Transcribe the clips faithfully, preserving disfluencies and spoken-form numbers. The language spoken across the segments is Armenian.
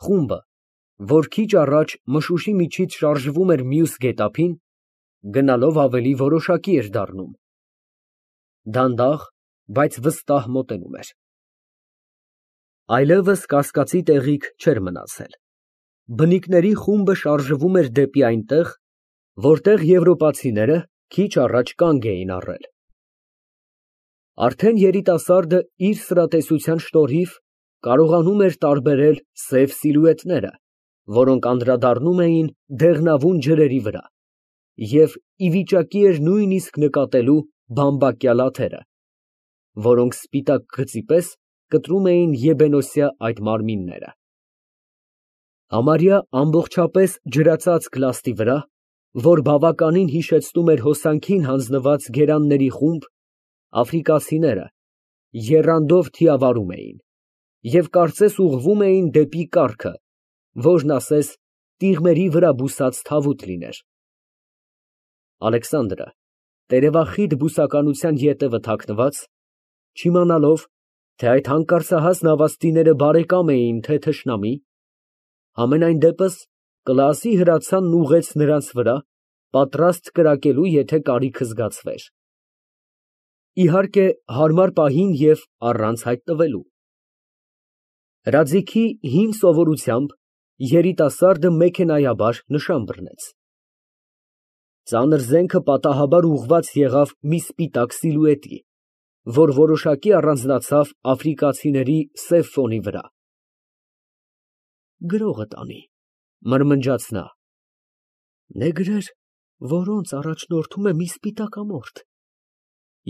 Խումբը, որ քիչ առաջ մշուշի միջից շարժվում էր մյուս գետափին, գնալով ավելի որոշակի էր դառնում, դանդաղ, բայց վստահ մոտենում էր։ Այլևս կասկածի տեղիք չէր մնացել։ Բնիկների խումբը շարժվում էր դեպի այնտեղ, որտեղ եվրոպացիները քիչ առաջ կանգ էին առել։ Արդեն երիտասարդը իր սրատեսության շնորհիվ կարողանում էր տարբերել սև սիլուետները, որոնք անդրադառնում էին դեղնավուն ջրերի վրա, և ի վիճակի էր նույնիսկ նկատելու բամբակյա լաթերը, որոնք սպիտակ գծի պես կտրում էին եբենոսյա այդ մարմինները։ Համարյա ամբողջապես ջրածածկ լաստի վրա, որ բավականին հիշեցնում էր հոսանքին հանձնված գերանների խումբ, աֆրիկացիները եռանդով թիավարում էին և կարծես ուղղվում էին դեպի կառքը, որն ասես տիղմերի վրա բուսած թավուտ լիներ։ Ալեքսանդրը, տերևախիտ բուսականության ետևը թաքնված, չիմանալով, թե այդ հանկարծահաս նավաստիները բարեկամ էին, թե թշնամի, համենայն դեպս կլասի հրացանն ուղղեց նրանց վրա, պատրաստ կրակելու, եթե կարիքը զգացվեր, իհարկե հարմար պահին և առանց հայտնվելու։ Հրաձիգի հին սովորությամբ երիտասարդը մեքենայաբար նշան բռնեց։ Ծանր զենքը պատահաբար ուղղված եղավ մի սպիտակ սիլուետի, որ որոշակի առանձնացավ աֆրիկացիների սև ֆոնի վրա։ «Գրողը տանի», մրմնջաց նա, «նեգրեր, որոնց առաջնորդում է մի սպիտակամորթ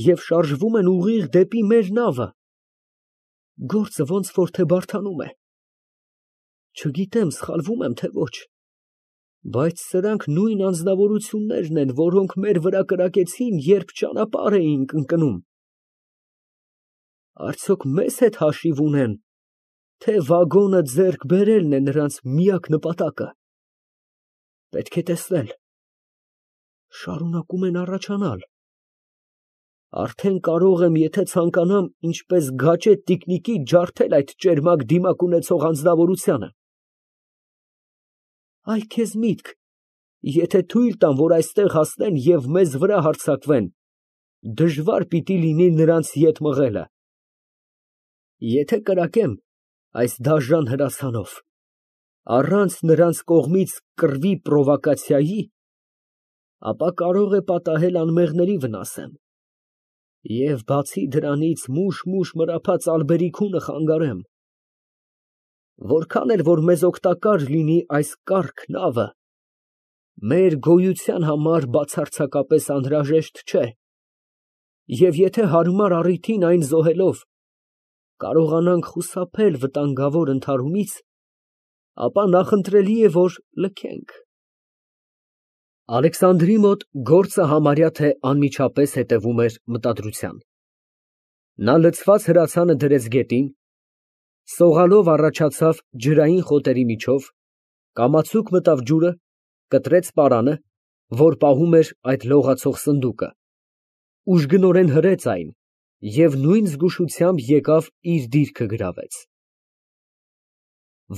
և շարժվում են ուղիղ դեպի մեր նավը, գործը ոնց որ թե բարդանում է։ Չգիտեմ սխալվո՞ւմ եմ, թե ոչ, բայց սրանք նույն անձնավորություններն են, որոնք մեր վրա կրակեցին, երբ ճանապարհ էինք ընկնում։ Արդյոք մեզ հետ հաշիվ ունեն, թե վագոնը ձեռք բերելն է նրանց միակ նպատակը։ Պետք է տեսնել, շարունակում են առաջանալ։ Արդեն կարող եմ, եթե ցանկանամ, ինչպես գաճետ տիկնիկի ջարդել այդ ճերմակ դիմակ ունեցող անձնավորությանը։ Այ քեզ միտք, եթե թույլ տան, որ այստեղ հասնեն և մեզ վրա հարձակվեն, դժվար պիտի լինի նրանց ետ մղելը։ Եթե կրակեմ այս դաժան հրացանով, առանց նրանց կողմից կռվի պրովոկացիայի, ապա կարող է պատահել անմեղների վնասեմ, և բացի դրանից մուշ֊մուշ մրափած ալբերիքունը խանգարեմ։ Որքան էլ որ մեզ օգտակար լինի այս կառք նավը, մեր գոյության համար բացարձակապես անհրաժեշտ չէ, և եթե հարմար առիթին այն զոհելով կարողանանք խուսափել վտանգավոր ընդհարումից, ապա նախընտրելի է, որ լքենք։ Ալեքսանդրի մոտ գործը համարյա թե անմիջապես հետևում էր մտադրության։ Նա լցված հրացանը դրեց գետին, սողալով առաջացավ ջրային խոտերի միջով, կամացուկ մտավ ջուրը, կտրեց պարանը, որ պահում էր այդ լողացող սնդուկը, ուժգնորեն հրեց այն և նույն զգուշությամբ եկավ իր դիրքը գրավեց։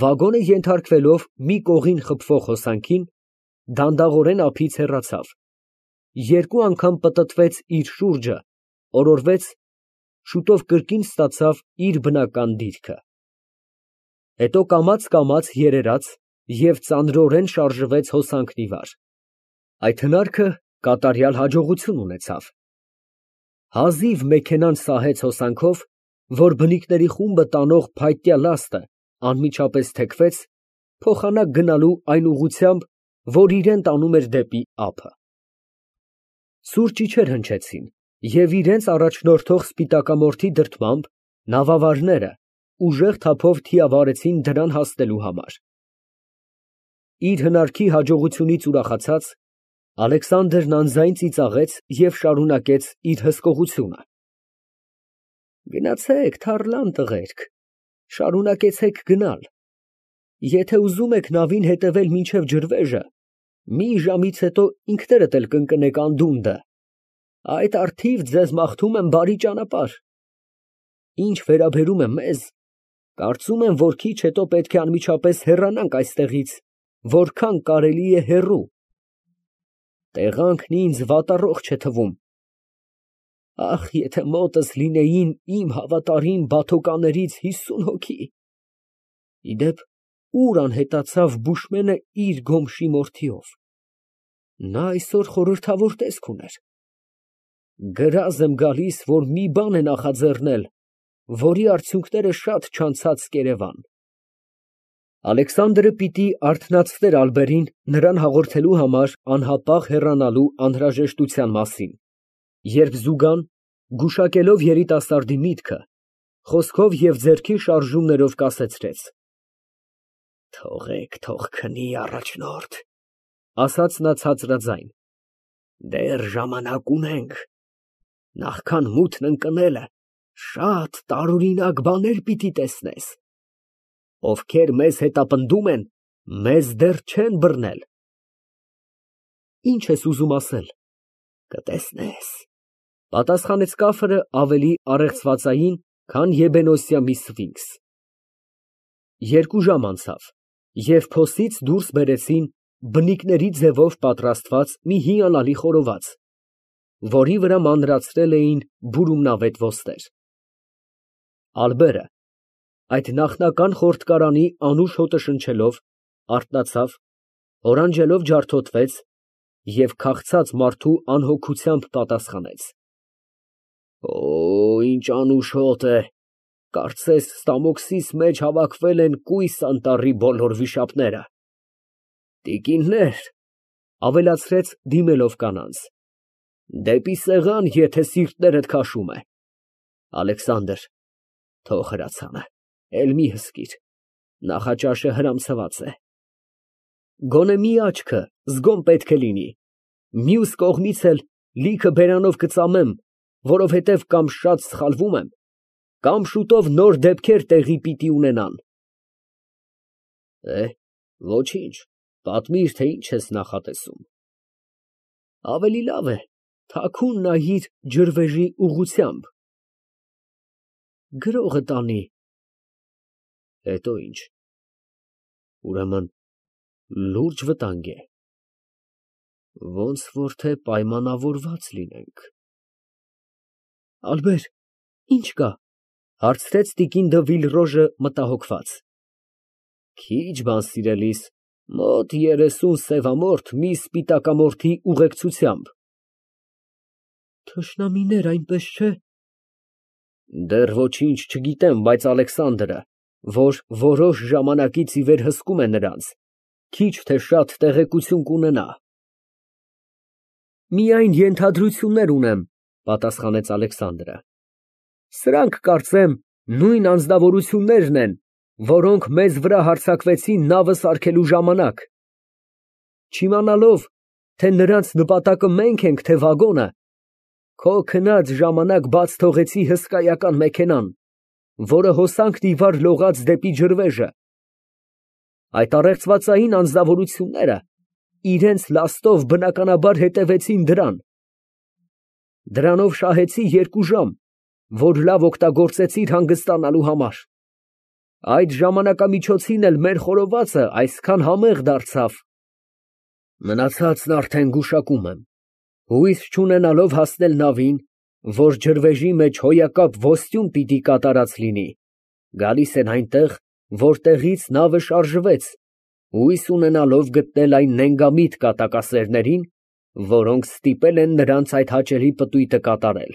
Վագոնը ենթարկվելով մի կողին խփվող հոսանքին, դանդաղորեն ափից հեռացավ, երկու անգամ պտտվեց իր շուրջը, օրորվեց, շուտով կրկին ստացավ իր բնական դիրքը։ Հետո կամաց֊կամաց երերաց և ծանրորեն շարժվեց հոսանքն ի վար։ Այդ հնարքը կատարյալ հաջողություն ունեցավ։ Հազիվ մեքենան սահեց հոսանքով, որ բնիկների խումբը տանող փայտյա լաստը անմիջապես թեքվեց, փոխանակ գնալու այն ուղղությամբ, որ իրան տանում էր դեպի ափը։ Սուր ճիչեր հնչեցին, և իրենց առաջնորդող սպիտակամորթի դրդմամբ նավավարները ուժեղ թափով թիավարեցին դրան հասնելու համար։ Իր հնարքի հաջողությունից ուրախացած, Ալեքսանդրն անձայն ծիծաղեց և շարունակեց իր հսկողությունը. Գնացեք, թառլան տղերք, շարունակեցեք գնալ, եթե ուզում եք նավին հետևել մինչև ջրվեժը, մի ժամից հետո ինքներդ էլ կընկնեք անդունդը, այդ առթիվ ձեզ մաղթում եմ բարի ճանապարհ։ Ինչ վերաբերում է մեզ, Կարծում եմ, որ քիչ հետո պետք է անմիջապես հեռանանք այստեղից, որքան կարելի է հեռու։ Տեղանքն ինձ վատառողջ է թվում։ Ախ, եթե մոտս լինեին իմ հավատարիմ բաթոկաներից հիսուն հոգի։ Ի դեպ, ուր անհետացավ Բուշմենը իր գոմշի մորթիով։ Նա այսօր խորհրդավոր տեսք ուներ։ Գրազ եմ գալիս, որ մի բան է նախաձեռնել, որի արդյունքները շատ չանցած կերևան։ Ալեքսանդրը պիտի արթնացներ Ալբերին նրան հաղորդելու համար անհապաղ հեռանալու անհրաժեշտության մասին, երբ Զուգան, գուշակելով երիտասարդի միտքը, խոսքով և ձեռքի շարժումներով կասեցրեց. Թողեք, թող քնի, առաջնորդ, ասաց նա ցածրաձայն, դեռ ժամանակ ունենք, նախքան մութն ընկնելը շատ տարօրինակ բաներ պիտի տեսնես, ովքեր մեզ հետապնդում են, մեզ դեռ չեն բռնել։ Ինչ ես ուզում ասել։ Կտեսնես, պատասխանեց կաֆրը ավելի առեղծվածային, քան եբենոսյա մի սվինքս։ Երկու ժամ անցավ, և փոսից դուրս բերեցին բնիկների ձևով պատրաստված մի հիանալի խորոված, որի վրա մանրացրել էին բուրումնավետ ոսկեր։ Ալբերը, այդ նախնական խորտկարանի անուշ հոտը շնչելով, արթնացավ, օրանջելով ջարդոտվեց և քաղցած մարդու անհոգությամբ պատասխանեց. Օ, ինչ անուշ հոտ է, կարծես ստամոքսիս մեջ հավաքվել են կույս անտառի բոլոր վիշապները։ Տիկիններ, ավելացրեց դիմելով կանանց, դեպի սեղան, եթե սիրտներդ քաշում է։ Ալեքսանդր, թող հրացանը, էլ մի հսկիր, նախաճաշը հրամցված է։ Գոնե մի աչքը զգոմ պետք է լինի, մյուս կողմից էլ լիքը բերանով կծամեմ, որովհետև կամ շատ սխալվում եմ, կամ շուտով նոր դեպքեր տեղի պիտի ունենան։ Է, ոչինչ, պատմիր, թե ինչ ես նախատեսում։ Ավելի լավ է, թաքուն նայիր ջրվեժի ուղղությամբ։ Գրողը տանի։ Հետո ինչ։ Ուրեմն լուրջ վտանգ է։ Ոնց որ թե պայմանավորված լինենք։ Ալբեր, ինչ կա, հարցրեց տիկին դը Վիլրոժը մտահոգված։ Քիչ բան, սիրելիս, մոտ երեսուն սևամորթ մի սպիտակամորթի ուղեկցությամբ։ Թշնամիներ, այնպես չէ։ Դեռ ոչինչ չգիտեմ, բայց Ալեքսանդրը, որ որոշ ժամանակից ի վեր հսկում է նրանց, քիչ թե շատ տեղեկություն կունենա։ Միայն ենթադրություններ ունեմ, պատասխանեց Ալեքսանդրը։ Սրանք, կարծեմ, նույն անձնավորություններն են, որոնք մեզ վրա հարձակվեցին նավը սարքելու ժամանակ։ Չիմանալով, թե նրանց նպատակը մենք ենք, թե վագոնը, քո քնած ժամանակ բաց թողեցի հսկայական մեքենան, որը հոսանքն ի վար լողաց դեպի ջրվեժը։ Այդ առեղծվածային անձնավորությունները իրենց լաստով բնականաբար հետևեցին դրան։ Դրանով շահեցի երկու ժամ, որ լավ օգտագործեցիր հանգստանալու համար։ Այդ ժամանակամիջոցին էլ մեր խորովածը այսքան համեղ դարձավ։ Մնացածն արդեն գուշակում եմ, հույս չունենալով հասնել նավին, որ ջրվեժի մեջ հոյակապ ոստյուն պիտի կատարած լինի, գալիս են այնտեղ, որտեղից նավը շարժվեց, հույս ունենալով գտնել այն նենգամիտ կատակասերներին, որոնք ստիպել են նրանց այդ հաճելի պտույտը կատարել։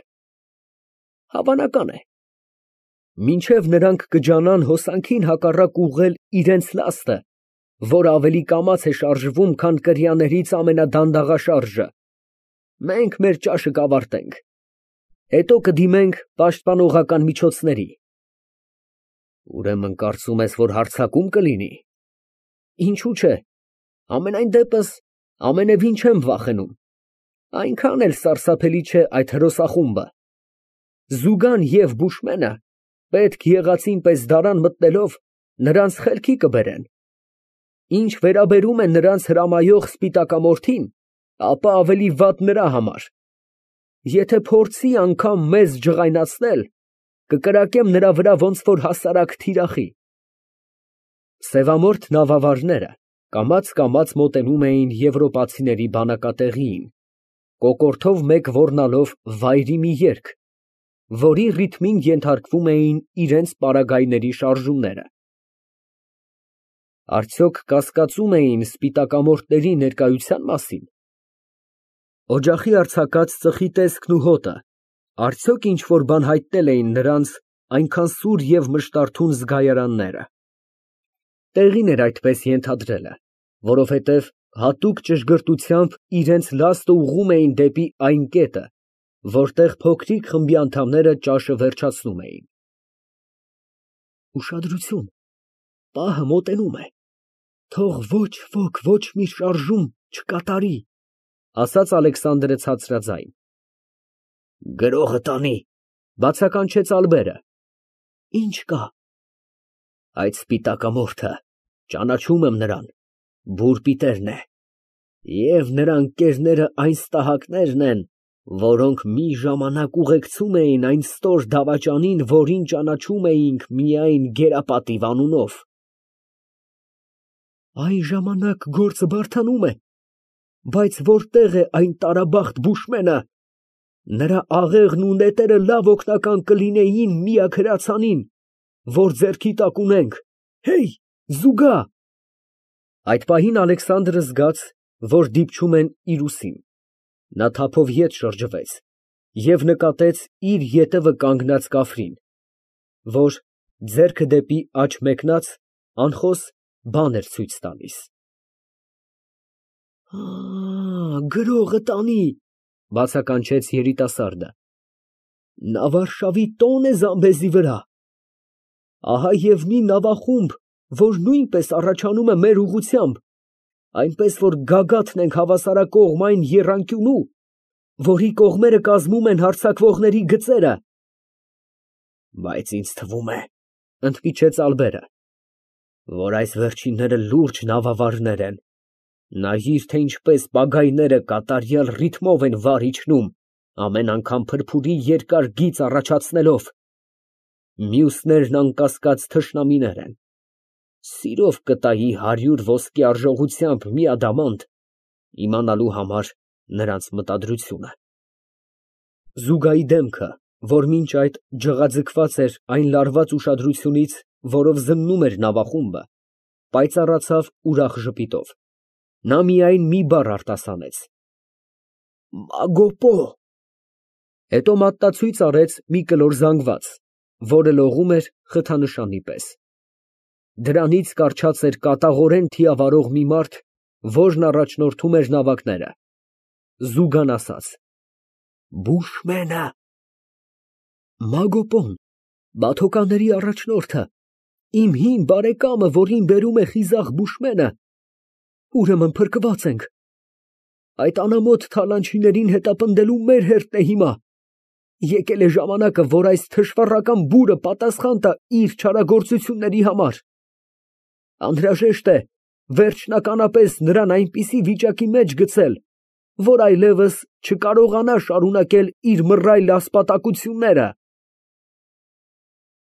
Հավանական է, մինչև նրանք կջանան հոսանքին հակառակ ուղղել իրենց լաստը, որ ավելի կամաց է շարժվում, քան կրիաներից ամենադանդաղաշարժը, մենք մեր ճաշը կավարտենք, հետո կդիմենք պաշտպանողական միջոցների։ Ուրեմն կարծում ես, որ հարձակում կլինի։ Ինչու՞ չէ, ամենայն դեպս ամենևին չեմ վախենում, այնքան էլ սարսափելի չէ այդ հրոսախումբը։ Զուգան և Բուշմենը պետք եղածին պես դարան մտնելով նրանց խելքի կբերեն։ Ինչ վերաբերում է նրանց հրամայող սպիտակամորթին, ապա ավելի վատ նրա համար։ Եթե փորձի անգամ մեզ ջղայնացնել, կկրակեմ նրա վրա ոնց որ հասարակ թիրախի։ Սևամորթ նավավարները կամաց֊կամաց մոտենում էին եվրոպացիների բանակատեղիին, կոկորդով մեկ ոռնալով վայրի մի երգ, որի ռիթմին ենթարկվում էին իրենց պարագայների շարժումները։ Արդյոք կասկածում էին սպիտակամորթների ներկայության մասին։ Օջախի արձակած ծխի տեսքն ու հոտը արդյոք ինչ֊որ բան հայտնել էին նրանց այնքան սուր և մշտարթուն զգայարանները։ Տեղին էր այդպես ենթադրելը, որովհետև հատուկ ճշգրտությամբ իրենց լաստը ուղղում էին դեպի այն կետը, որտեղ փոքրիկ խմբի անդամները ճաշը վերջացնում էին։ Ուշադրություն, պահը մոտենում է, թող ոչ ոք ոչ մի շարժում չկատարի, ասաց Ալեքսանդրը ցածրաձայն։ Գրողը տանի, բացականչեց Ալբերը։ Ինչ կա։ Այդ սպիտակամորթը, ճանաչում եմ նրան, բուռ պիտերն է, և նրա ընկերները այն ստահակներն են, որոնք մի ժամանակ ուղեկցում էին այն ստոր դավաճանին, որին ճանաչում էինք միայն Գերապատիվ անունով։ Այն ժամանակ գործը բարդանում է, բայց որտե՞ղ է այն տարաբախտ բուշմենը։ Նրա աղեղն ու նետերը լավ օգնական կլինեին միակ հրացանին, որ ձեռքի տակ ունենք, հեյ, զուգա։ Այդ պահին Ալեքսանդրը զգաց, որ դիպչում են իր ուսին, նա թափով ետ շրջվեց և նկատեց իր ետևը կանգնած Կաֆրին, որ, ձեռքը դեպի աջ մեկնած, անխոս բան էր ցույց տալիս։ Գրողը տանի, բացականչեց երիտասարդը, նա Վարշավի տոն է Զամբեզի վրա։ Ահա և մի նավախումբ, որ նույնպես առաջանում է մեր ուղղությամբ, այնպես որ գագաթն ենք հավասարակողմ այն եռանկյունու, որի կողմերը կազմում են հարձակվողների գծերը։ Բայց ինձ թվում է, ընդմիջեց Ալբերը, որ այս վերջինները լուրջ նավավարներ են, նայիր, թե ինչպես պագայները կատարյալ ռիթմով են վար իջնում, ամեն անգամ փրփուրի երկար գիծ առաջացնելով։ Մյուսներն անկասկած թշնամիներ են, սիրով կտայի հարյուր ոսկի արժողությամբ մի ադամանդ, իմանալու համար նրանց մտադրությունը։ Զուգայի դեմքը, որ մինչ այդ ջղաձգված էր այն լարված ուշադրությունից, որով զննում էր նավախումբը, պայծառացավ ուրախ ժպիտով, նա միայն մի բառ արտասանեց. Մագոպո։ Հետո մատնացույց արեց մի կլոր զանգված, որը լողում էր խթանշանի պես։ Դրանից կառչած էր կատաղորեն թիավարող մի մարդ, որն առաջնորդում էր նավակները, զուգան ասաց. Բուշմենը։ Մագոպոն, բաթոկանների առաջնորդը, իմ հին բարեկամը, որին բերում է խիզախ բուշմենը, ուրեմն փրկված ենք։ Այդ անամոթ թալանչիներին հետապնդելու մեր հերթն է հիմա։ Եկել է ժամանակը, որ այս թշվառական բուրը պատասխան տա իր չարագործությունների համար։ Անհրաժեշտ է վերջնականապես նրան այնպիսի վիճակի մեջ գցել, որ այլևս չկարողանա շարունակել իր մռայլ ասպատակությունները։